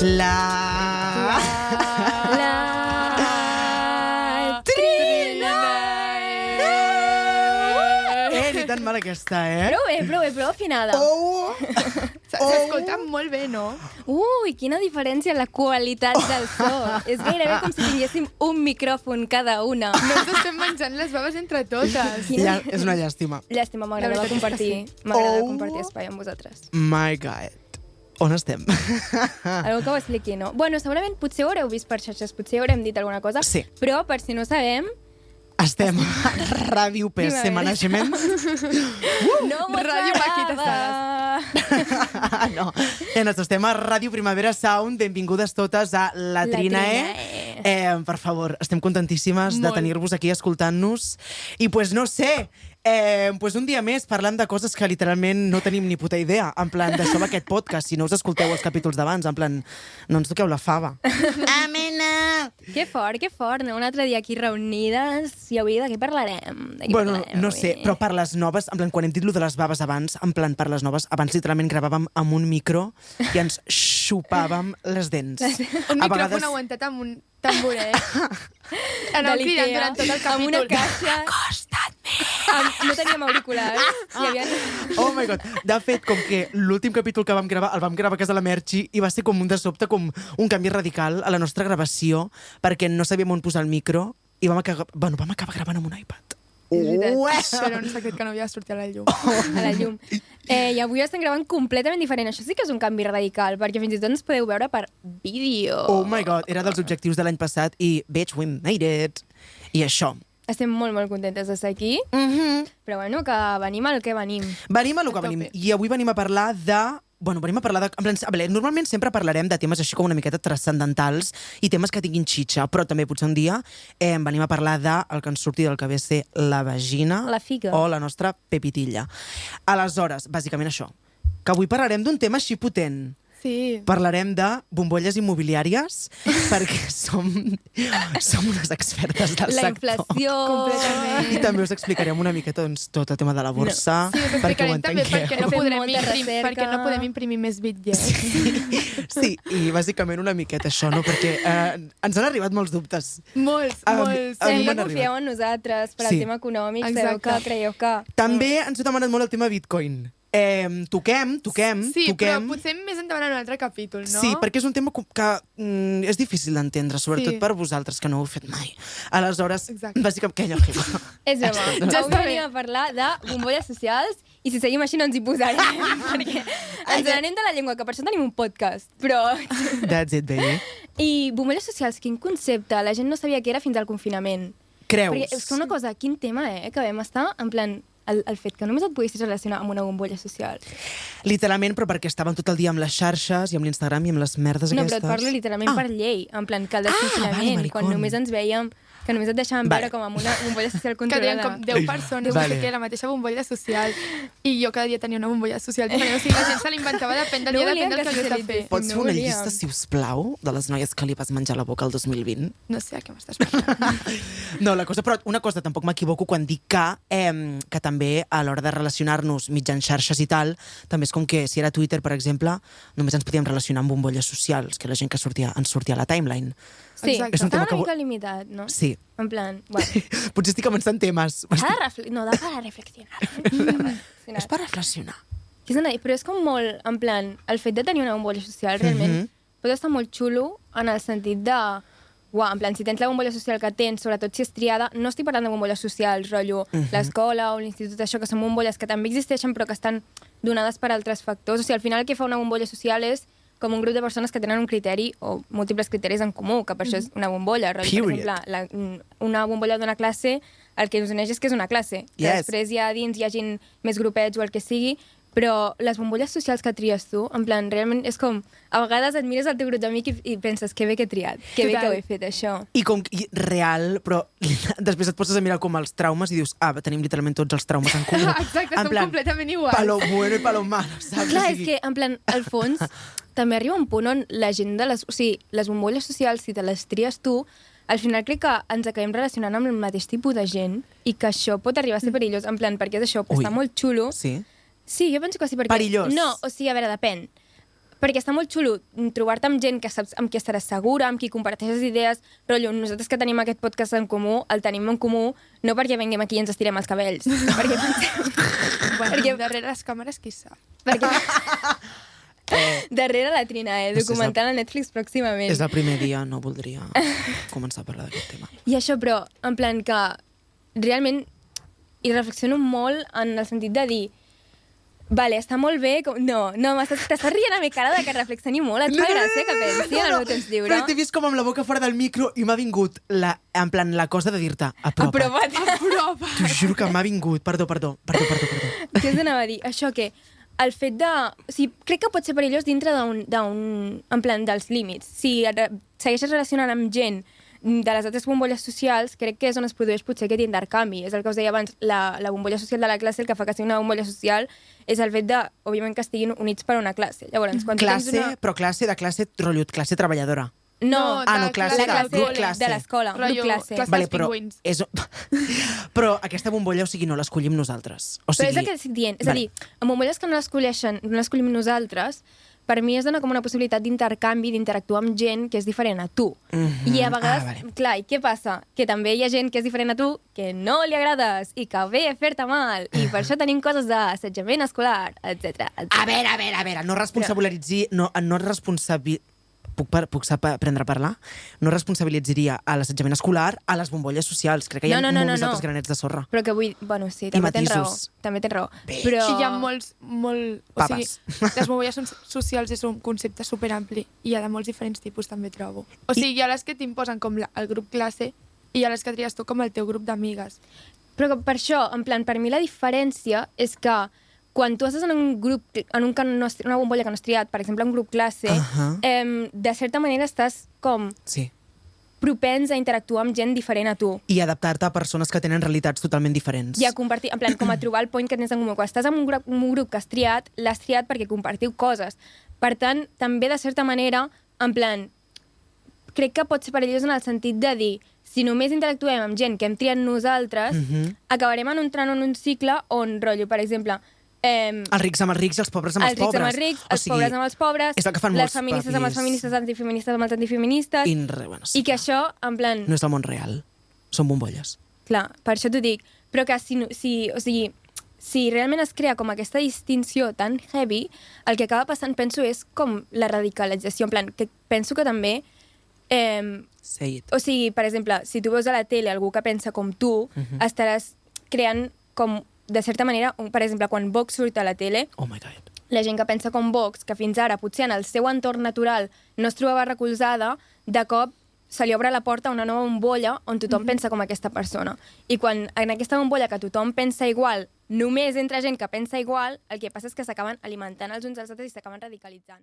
La Trina! Ni tan mal aquesta, Prou afinada. S'escolta molt bé, no? Ui, quina diferència en la qualitat del so. És gairebé com si tinguéssim un micròfon cada una. No ens estem menjant les baves entre totes. És una llàstima. Llàstima, m'agrada compartir espai amb vosaltres. My God. On estem? Algú que ho expliqui, no? Bueno, segurament potser ho haureu vist per xarxes, potser haurem dit alguna cosa, sí. Però per si no sabem... Estem a Ràdio PC Management. No m'ho Ràdio Maquitas Salas. No, estem a Ràdio Primavera Sound. Benvingudes totes a La Trinae. Per favor, estem contentíssimes de tenir-vos aquí escoltant-nos. I pues no sé, pues un dia més parlant de coses que literalment no tenim ni puta idea. En plan, d'això va aquest podcast. Si no us escolteu els capítols d'abans, en plan, no ens toqueu la fava. Amena! Que fort, no? Un altre dia aquí reunides. I avui de què parlarem? Bueno, no sé, però per les noves, en plan, quan hem dit lo de les baves abans, en plan, per les noves, abans literalment gravàvem amb un micro i ens xupàvem les dents. Un micròfon aguantat amb un tamboret. Anàvem cridant durant tot el capítol. Amb una caixa. Acosta't més! No teníem auriculars. Oh my God. De fet, com que l'últim capítol que vam gravar, el vam gravar a casa de la Merchi i va ser com un de sobte, com un canvi radical a la nostra gravació, perquè no sabíem on posar el micro i vam acabar gravant amb un iPad. Era un secret que no havia de sortir a la llum. A la llum. I avui estem gravant completament diferent. Això sí que és un canvi radical, perquè fins i tot ens podeu veure per vídeo. Oh my God, era dels objectius de l'any passat i, bitch, we made it. I això. Estem molt, molt contentes d'estar aquí, però bueno, que venim al que venim. Venim al que venim. I avui venim a parlar de... Bueno, venim a parlar de... Normalment sempre parlarem de temes així com una miqueta transcendentals i temes que tinguin xitxa, però també potser un dia venim a parlar de el que ens surti del que ve ser la vagina la figa. O la nostra pepitilla. Aleshores, bàsicament això, que avui parlarem d'un tema així potent. Sí. Parlarem de bombolles immobiliàries perquè som unes expertes del sector. La inflació... Completament. I també us explicarem una miqueta doncs, tot el tema de la borsa. Sí, us explicarem també perquè no podem imprimir més bitllets. Sí, i bàsicament una miqueta això, no? Perquè ens han arribat molts dubtes. Molts. Sempre confieu en nosaltres per al tema econòmic, sabeu que creieu que... També ens ha demanat molt el tema Bitcoin. Toquem. Sí, però potser més endavant en un altre capítol, no? Sí, perquè és un tema que és difícil d'entendre, sobretot per vosaltres, que no ho heu fet mai. Aleshores, bàsicament, què allò? És broma. Avui venim a parlar de bombolles socials i si seguim així no ens hi posarem, perquè ens n'anem de la llengua, que per això tenim un podcast, però... That's it, baby. I bombolles socials, quin concepte? La gent no sabia què era fins al confinament. Creus? Perquè és una cosa, quin tema, que vam estar en plan... El fet que només et poguessis relacionar amb una bombolla social. Literalment, però perquè estàvem tot el dia amb les xarxes i amb l'Instagram i amb les merdes aquestes. No, però et parlo literalment per llei. En plan, que el desconfinament, quan només ens veiem... que només et deixaven veure com amb una bombolla social controlada. Que com 10 persones, no sé què, la mateixa bombolla social. I jo cada dia tenia una bombolla social diferent. O sigui, la gent se l'inventava depèn del dia, depèn del que hagués de fer. Pots fer una llista, sisplau, de les noies que li vas menjar la boca el 2020? No sé a què m'estàs parlant. No, però una cosa, tampoc m'equivoco quan dic que també a l'hora de relacionar-nos mitjans xarxes i tal, també és com que si era Twitter, per exemple, només ens podíem relacionar amb bombolles socials, que la gent que ens sortia a la timeline. Sí, està una mica limitat, no? Sí. En plan, bueno. Potser estic començant temes. No, da para reflexionar. És per reflexionar. Però és com molt, en plan, el fet de tenir una bombolla social realment pot estar molt xulo en el sentit de... Uau, en plan, si tens la bombolla social que tens, sobretot si és triada, no estic parlant de bombolles socials, rotllo, l'escola o l'institut, això, que són bombolles que també existeixen però que estan donades per altres factors. O sigui, al final el que fa una bombolla social és com un grup de persones que tenen un criteri o múltiples criteris en comú, que per això és una bombolla. Per exemple, una bombolla d'una classe, el que us uneix és que és una classe. Que després ja dins hi hagin més grupets o el que sigui, però les bombolles socials que tries tu, en plan, realment és com... A vegades et mires al teu grup d'amic i penses que bé que he triat, que bé que ho he fet, això. I com real, però després et poses a mirar com els traumes i dius, tenim literalment tots els traumes en comú. Exacte, som completament iguals. Palo bueno i palo malo, saps? Clar, és que, en plan, al fons, també arriba un punt on la gent de les... O sigui, les bombolles socials, si te les tries tu, al final crec que ens acabem relacionant amb el mateix tipus de gent i que això pot arribar a ser perillós, en plan, perquè és això, està molt xulo. Sí. Sí, jo penso que sí, perquè... Perillós. No, o sigui, a veure, depèn. perquè està molt xulo trobar-te amb gent que saps amb qui estaràs segura, amb qui comparteixes idees, rotllo, nosaltres que tenim aquest podcast en comú, el tenim en comú, no perquè venguem aquí i ens estirem els cabells, perquè pensem... Perquè darrere les càmeres, qui sap? Darrere la Trina, documental a Netflix pròximament. És el primer dia, no voldria començar a parlar d'aquest tema. I això, però, en plan que realment hi reflexiono molt en el sentit de dir vale, està molt bé... No, t'estàs rient a mi cara de que reflexioni molt. Et fa gràcia que pensi en el meu temps lliure. Però t'he vist com amb la boca fora del micro i m'ha vingut en plan la cosa de dir-te apropa't. T'ho juro que m'ha vingut. Perdó. Què us anava a dir? Això que el fet de... O sigui, crec que pot ser perillós dintre en plan, dels límits. Si segueixes relacionant amb gent de les altres bombolles socials, crec que és on es produeix potser aquest intercanvi. És el que us deia abans, la bombolla social de la classe, el que fa que sigui una bombolla social és el fet de, òbviament, que estiguin units per una classe. Llavors, quan però classe de classe, rotllut, classe treballadora. No, classe de grup classe. De l'escola, grup classe. Vale, però aquesta bombolla, o sigui, no l'escollim nosaltres. O sigui... Però és el que estic dient. És a dir, en bombolles que no l'escollim nosaltres, per mi es dona com una possibilitat d'intercanvi, d'interactuar amb gent que és diferent a tu. I a vegades, clar, i què passa? Que també hi ha gent que és diferent a tu, que no li agrades i que ve a fer-te mal. I per això tenim coses d'assetjament escolar, etc. A veure, no responsabilitzi... Puc aprendre a parlar? No responsabilitzaria a l'assetjament escolar a les bombolles socials. Crec que hi ha molts altres granets de sorra. Però que vull... Bueno, sí, també tens raó. Però... Hi ha molts... O sigui, les bombolles socials és un concepte superampli i hi ha de molts diferents tipus, també trobo. O sigui, hi ha les que t'imposen com el grup classe i hi ha les que tries tu com el teu grup d'amigues. Però per això, en plan, per mi la diferència és que quan tu estàs en un grup, en una bombolla que no has triat, per exemple, un grup classe, de certa manera estàs com propens a interactuar amb gent diferent a tu. I adaptar-te a persones que tenen realitats totalment diferents. I a compartir, en plan, com a trobar el point que tens en comú. Quan estàs en un grup que has triat, l'has triat perquè compartiu coses. Per tant, també, de certa manera, en plan, crec que pot ser perillós en el sentit de dir si només interactuem amb gent que hem triat nosaltres, acabarem entrant en un cicle on, rotllo, per exemple... els rics amb els rics i els pobres amb els pobres. Els rics amb els rics, els pobres amb els pobres, les feministes amb els feministes, antifeministes amb els antifeministes, i que això, en plan... No és el món real, són bombolles. Clar, per això t'ho dic. Però que si realment es crea com aquesta distinció tan heavy, el que acaba passant, penso, és com la radicalització. En plan, que penso que també... O sigui, per exemple, si tu veus a la tele algú que pensa com tu, estaràs creant com... De certa manera, per exemple, quan Vox surt a la tele, la gent que pensa com Vox, que fins ara potser en el seu entorn natural no es trobava recolzada, de cop se li obre la porta a una nova bombolla on tothom pensa com aquesta persona. I quan en aquesta bombolla que tothom pensa igual, només entra gent que pensa igual, el que passa és que s'acaben alimentant els uns als altres i s'acaben radicalitzant.